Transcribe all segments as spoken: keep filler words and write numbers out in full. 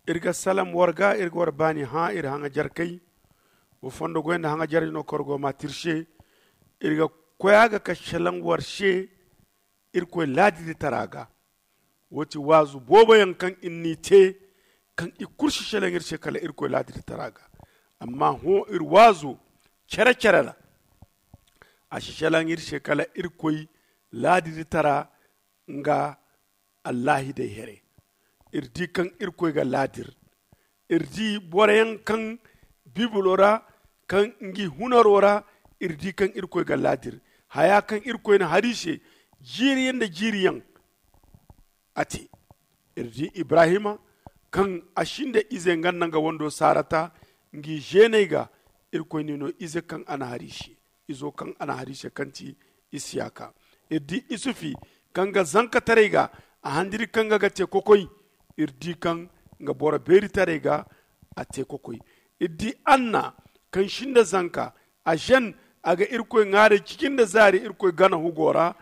Iri ga salam war ga, iri ga war baani hã iri haŋajarkey. Wo fondo goy nda haŋajarey no kaŋ war go ma te iri se. Iri ga koy a ga ka selaŋ war se irkoy laadiritara ga. Wo ti waazu boobo yaŋ kaŋ iri n'i te, kaŋ i kulu si selaŋ iri se kala irkoy laadiritara ga. Amma hõ iri waazo cere-cere ra, a si selaŋ iri se kala irkoy laadiritara nga allahidey here. Iri di kaŋ irkoy ga laadir. Iri di boro yaŋ kaŋ bibulo ra, kaŋ ngi hunaro ra, iri di kaŋ irkoy ga laadir. Haya kaŋ irkoy na hari se jiiri yaŋ nda jiiri yaŋ, a te. Iri di ibrahima, kaŋ a sinda ize nga nda nga wando sarata, ngi zeeney ga. Irkoy n'i no ize kaŋ a na hari se, izo kaŋ a na hari se kaŋ ti isiyaka. Iri di isufi, kaŋ ga zankataray ga, a handiri kaŋ ga ga te kokoy. Iri di kaŋ nga boro beeritaray ga, a te kokoy. Iri di anna, kaŋ sinda zanka, a zen, a ga irkoy ŋwaaray ciji nda zaari irkoy gana hugo ra.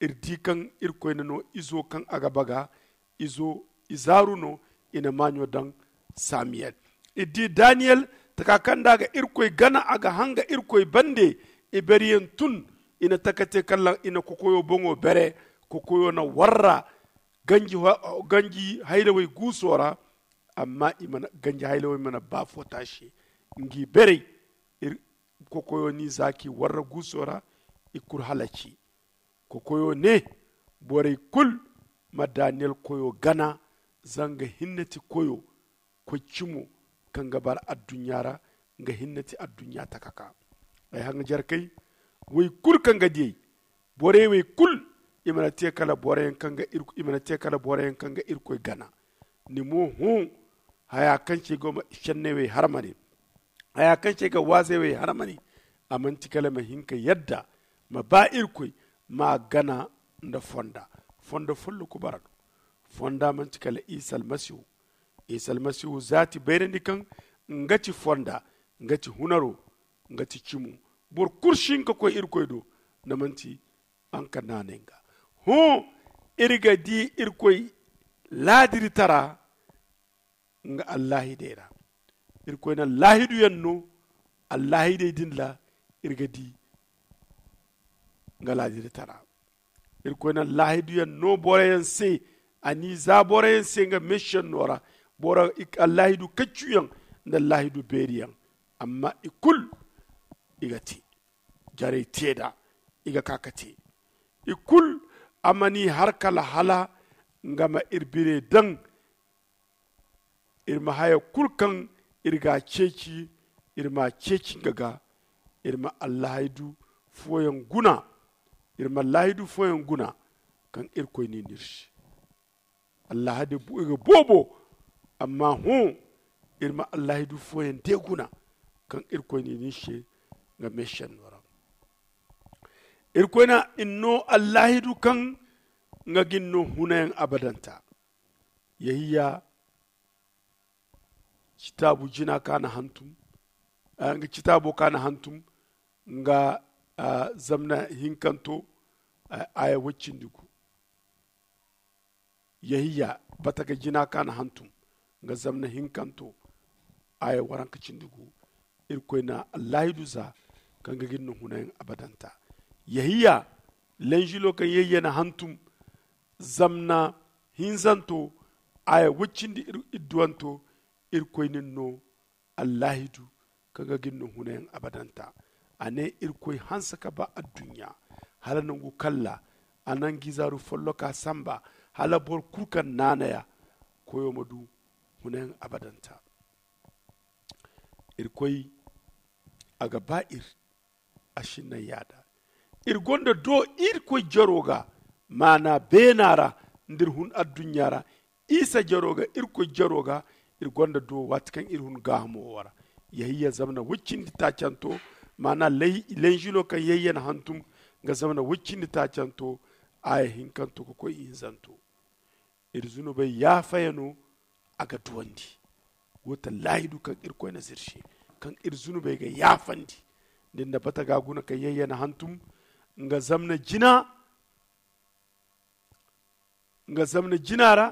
Iri di kaŋ irkoy na no izo kaŋ a ga baga, izo izaaru no. I na maaɲo daŋ samiyel. Iri di daniyel, taka kaŋ nda a ga irkoy gana, a ga hanga irkoy bande. Ibereyaŋ tun, i na taka te kala i na kokoyo boŋo bere. Kokoyo na warra ganji hayrawey guuso ra. Amma ganji hayrawey mana ba fo taasi ngi berey. Kokoyo n'i zaaki warra guuso ra. I kulu halaci. Kokoyo ne, borey kulu ma daniyel koyo gana. Zanga hinne ti koyo, koy cimo kaŋ ga bara adduɲɲa ra. Nga hinne ti adduɲɲa takaka. Ay haŋajarkey, wey kulu kaŋ ga diyey, borey wey kulu, i mana te kala boroyaŋ kaŋ ga irkoy gana. Ni mo hõ, haya kaŋ se ga senney wey harmane, haya kaŋ se ga waazey wey harmane, a manti kala ma hin ka yadda ma ba irkoy, ma gana nda fonda. Fonda folloku bara no. Fonda manti kala isa almasihu. Isa almasihu zaati bayrandi kaŋ nga ti fonda, nga ti hunaro, nga ti cimo. Boro kulu si hin ka koy irkoy do, nda manti a nga naanay nga. Hõ, iri ga di irkoy laadiritara nga allahidey ra. Irkoy na laahidu yaŋ no allahidey din ra. Iri ga di nga laadiritara. Irkoy na laahidu yaŋ no boroyaŋ se. A n'i za boroyaŋ se nga meesiyaŋ no ra. Boro allahidu kaccuyaŋ nda allahidu beeriyaŋ. Amma i kulu i ga te jarey te nd'a. I ga ka ka te i kulu. A mana i har kala hala nga ma iri bire daŋ. Iri ma haya kulu kaŋ iri ga a ceeci, iri ma a ceeci nga ga. Iri ma allahaydu fooyaŋ guna. Iri ma allahaydu fooyaŋ guna kaŋ irkoy n'i no iri se. Allahaydu ga boobo. Amma hõ, iri ma allahaydu fooyaŋ de guna kaŋ irkoy n'i no iri se nga meesenno ra. Irkoy na iri no allahaydu kaŋ nga ga iri no hunayaŋ abadanta. Yehiya citaabu jina ka na hantum, nga citaabo ka na hantum nga zamna hinkanto, aya waccindi gu. Yehiya bataga jina ka na hantum nga zamna hinkanto, aya waranka cindi gu. Irkoy na allahidu za kaŋ ga gin no hunayaŋ abadanta. Yehiya lenjilo kaŋ yehiya na hantum zamna hinzanto, aya waccindi idduwanto. Irkoy nin no allahidu kaŋ ga gin no hunayaŋ abadanta. A ne irkoy hanse ka ba adduɲɲa hala nangu kalla. A na ngi zaaru folloka samba hala boro kulu kaŋ naanaya koyo ma du hunayaŋ abadanta. Irkoy a ga ba iri. A sinnaŋ yaada iri gonda do irkoy jaro ga maana beena ra nda iri hun adduɲɲa ra. Isa jaro ga irkoy jaro ga iri gonda do waati kaŋ iri hun gaahamo wo ra. Yehiya zamna waccindi taacanto maana lenjilo kaŋ yehiya na hantum nga zamna waccindi taacanto. Aya hinkanto ka koy ihinzanto. Iri zunubey yaafayano a ga duwandi. Wo ta laahidu kaŋ irkoy na zirse kaŋ iri zunubey ga yaafandi. Din na bata ga guna kaŋ yayya na hantum nga zamna jina nga zamna jina ra.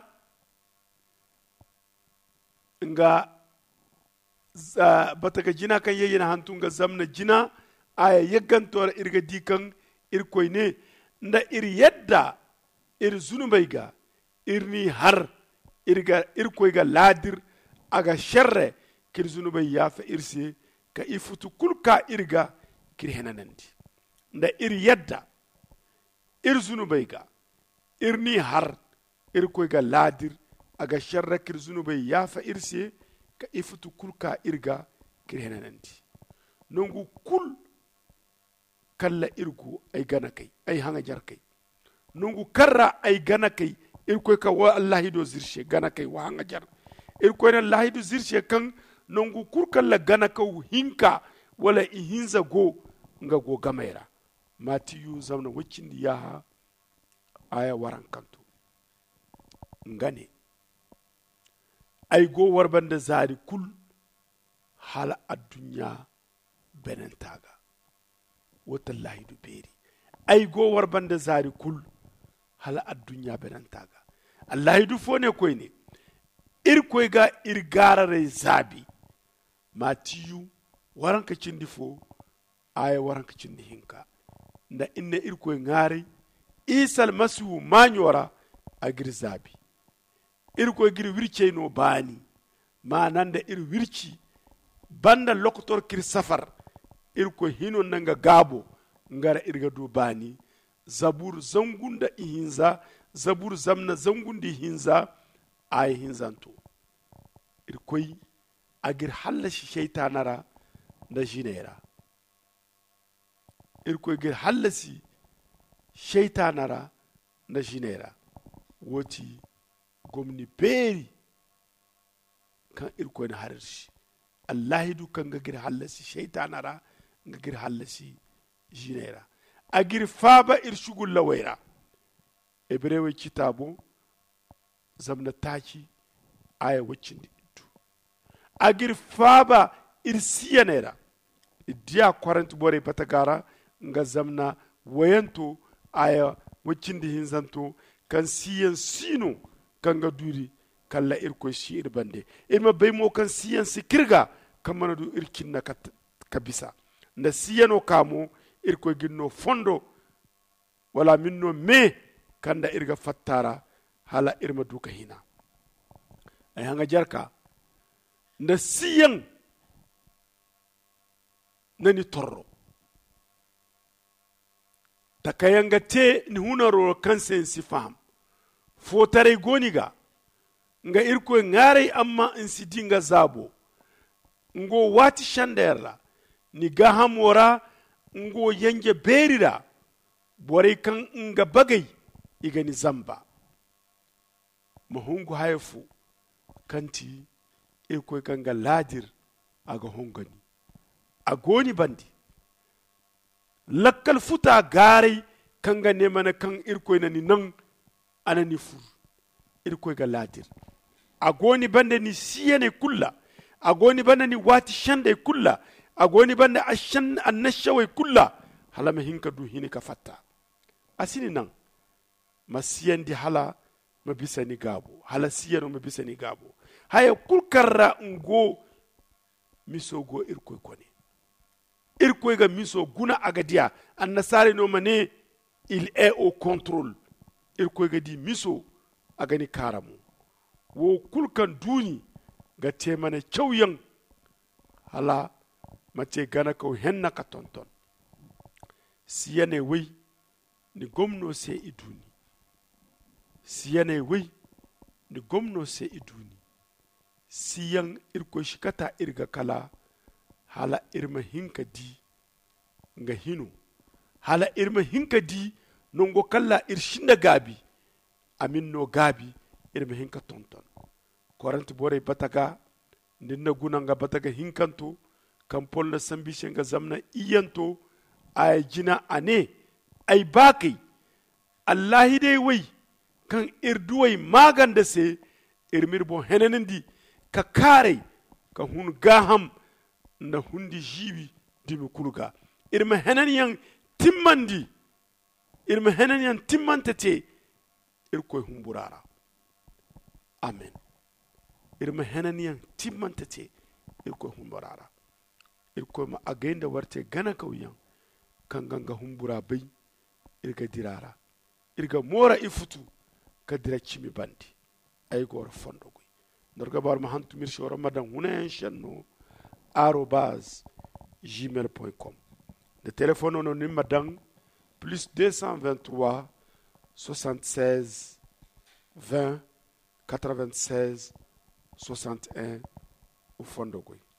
nga bata ga jina kaŋ yayyan hantu nga zamna jina. Aya yagganto ra iri ga di kaŋ irkoy ne, nda iri yadda iri zunubey ga, iri n'i har, irkoy ga laadir a ga serre ka iri zunubey yaafa iri se, ka ifutu kulu ka iri ga ka iri henanandi. Nda iri yadda iri zunubey ga, iri n'i har, irkoy ga laadir a ga serre ka iri zunubey yaafa iri se, ka ifutu kulu ka iri ga ka iri henanandi. Nangu kulu kalla iri go ay gana kay ay haŋajar kay. Nangu kaŋ ra ay gana kay, irkoy ka wa allahido zirse gana kay wa haŋajar. Irkoy na allahido zirse kaŋ nangu kulu kalla gana kaw hinka wala ihinza go nga go gamay ra. Matiyu zamna waccindi yaaha aya warankanto nga ne, ay go war banda zaari kulu hala adduɲɲa benanta ga. Wo ti allahidu beeri. Ay go war banda zaari kulu hala adduɲɲa benanta ga. Allahidu fo ne koyne, irkoy ga iri gaararay zaabi. Matiyu waranka cindi fo aya waranka cindi hinka. Nda iri ne irkoy ŋaaray isa almasihu maaɲo ra, a g'iri zaabi. Irkoy g'iri wircey no baani. Maana nda iri wirci banda lokotor k'iri safar, irkoy hino nda nga gaabo nga ra iri ga du baani. Zabur zangu nda ihinza. Zabur zamna zangu nda ihinza. Aya hinzanto. Irkoy a g'iri hallasi seytaana ra nda ziney ra. Irkoy g'iri hallasi seytaana ra nda ziney ra. Wo ti gomni beeri kaŋ irkoy na har iri se. Allahidu kaŋ ga g'iri hallasi seytaana ra, nga g'iri hallasi ziney ra. A g'iri faaba iri sugullawey ra. Hebrewey citaabo zamna taaci aya waccindi iddu. A g'iri faaba iri siyaney ra. Iri diya korent borey bataga ra nga zamna wayanto aya waccindi hinzanto, kaŋ siyan si no kaŋ ga duuri kala irkoy si iri bande. Iri ma bay mo kaŋ siyan si k'iri ga kaŋ mana du iri cinna ka bisa nda siyano ka mo irkoy g'iri no fondo wala a ma iri no me kaŋ nda iri ga fatta ra hala iri ma du ka hina. Ay haŋajarka nda siyaŋ na ni torro. Takayaŋ ga te ni hunaro kaŋ se ni si faham. Footaray go ni ga nga irkoy ŋaaray amma ni si di nga zaabo. Nga wo waati senda yaŋ ra ni gaahamo ra. Nga wo yanje beeri ra borey kaŋ nga bagay i ga ni zamba. Ma hungu haya fo kaŋ ti irkoy kaŋ ga laadir a ga hongo ni. A go ni bande lakkal futa gaaray kaŋ ga ne mana kaŋ irkoy na ni naŋ a na ni fur. Irkoy ga laadir a go ni banda ni siyaney kulu ra. A go ni banda ni waati sendey kulu ra. A go ni banda annasawey kulu ra hala ma hin ka du hini ka fatta. A si ni naŋ ma siyandi hala ma bisa ni gaabo hala siyano ma bisa ni gaabo. Haya kulu kaŋ ra nga go miso go irkoy kone. Irkoy ga miso guna a ga diya. Annasaarey no ma ne il est au contrôle. Irkoy ga di miso a ga ni kaara mo. Wo kulu kaŋ duuni ga te mana cawyaŋ hala ma te ganakaw henna ka tonton. Siyaney way ni gomno se i duuni. Siyaney way ni gomno se i duuni. Siyaŋ irkoy si kata iri ga kala hala iri ma hin ka di nga hino hala iri ma hin ka di nango kalla iri sinda gaabi. A ma iri no gaabi iri ma hin ka tonton. Korent borey bata ga nda iri na guna nga bata ga hinkanto kaŋ pol na sambu i se nga zamna iyyanto. Aya jina a ne ay baakey allahidey way kaŋ iri duwey maaganda se iri m'iri boŋ henanandi ka kaaray ka hun gaaham nda hundi ziibi dumi kulu ga. Iri ma henanyaŋ timmandi iri ma henanyaŋ timmante te irkoy humbura ra. Amen. Iri ma henanyaŋ timmante te irkoy humbura ra. Irkoy ma agay nda war te ganakawyaŋ kaŋ ga nga humbura bay. Iri ga dira ra. Iri ga moora ifutu ka dira cimi bande. Ay ga war fondo goy. Nda war ga ba war ma hantum iri se war ma daŋ hunayaŋ senno arobaz gmail point com. Nda telefono no ni ma daŋ plus deux cent vingt-trois soixante-seize vingt quatre-vingt-seize soixante-un. Wa fondo goy.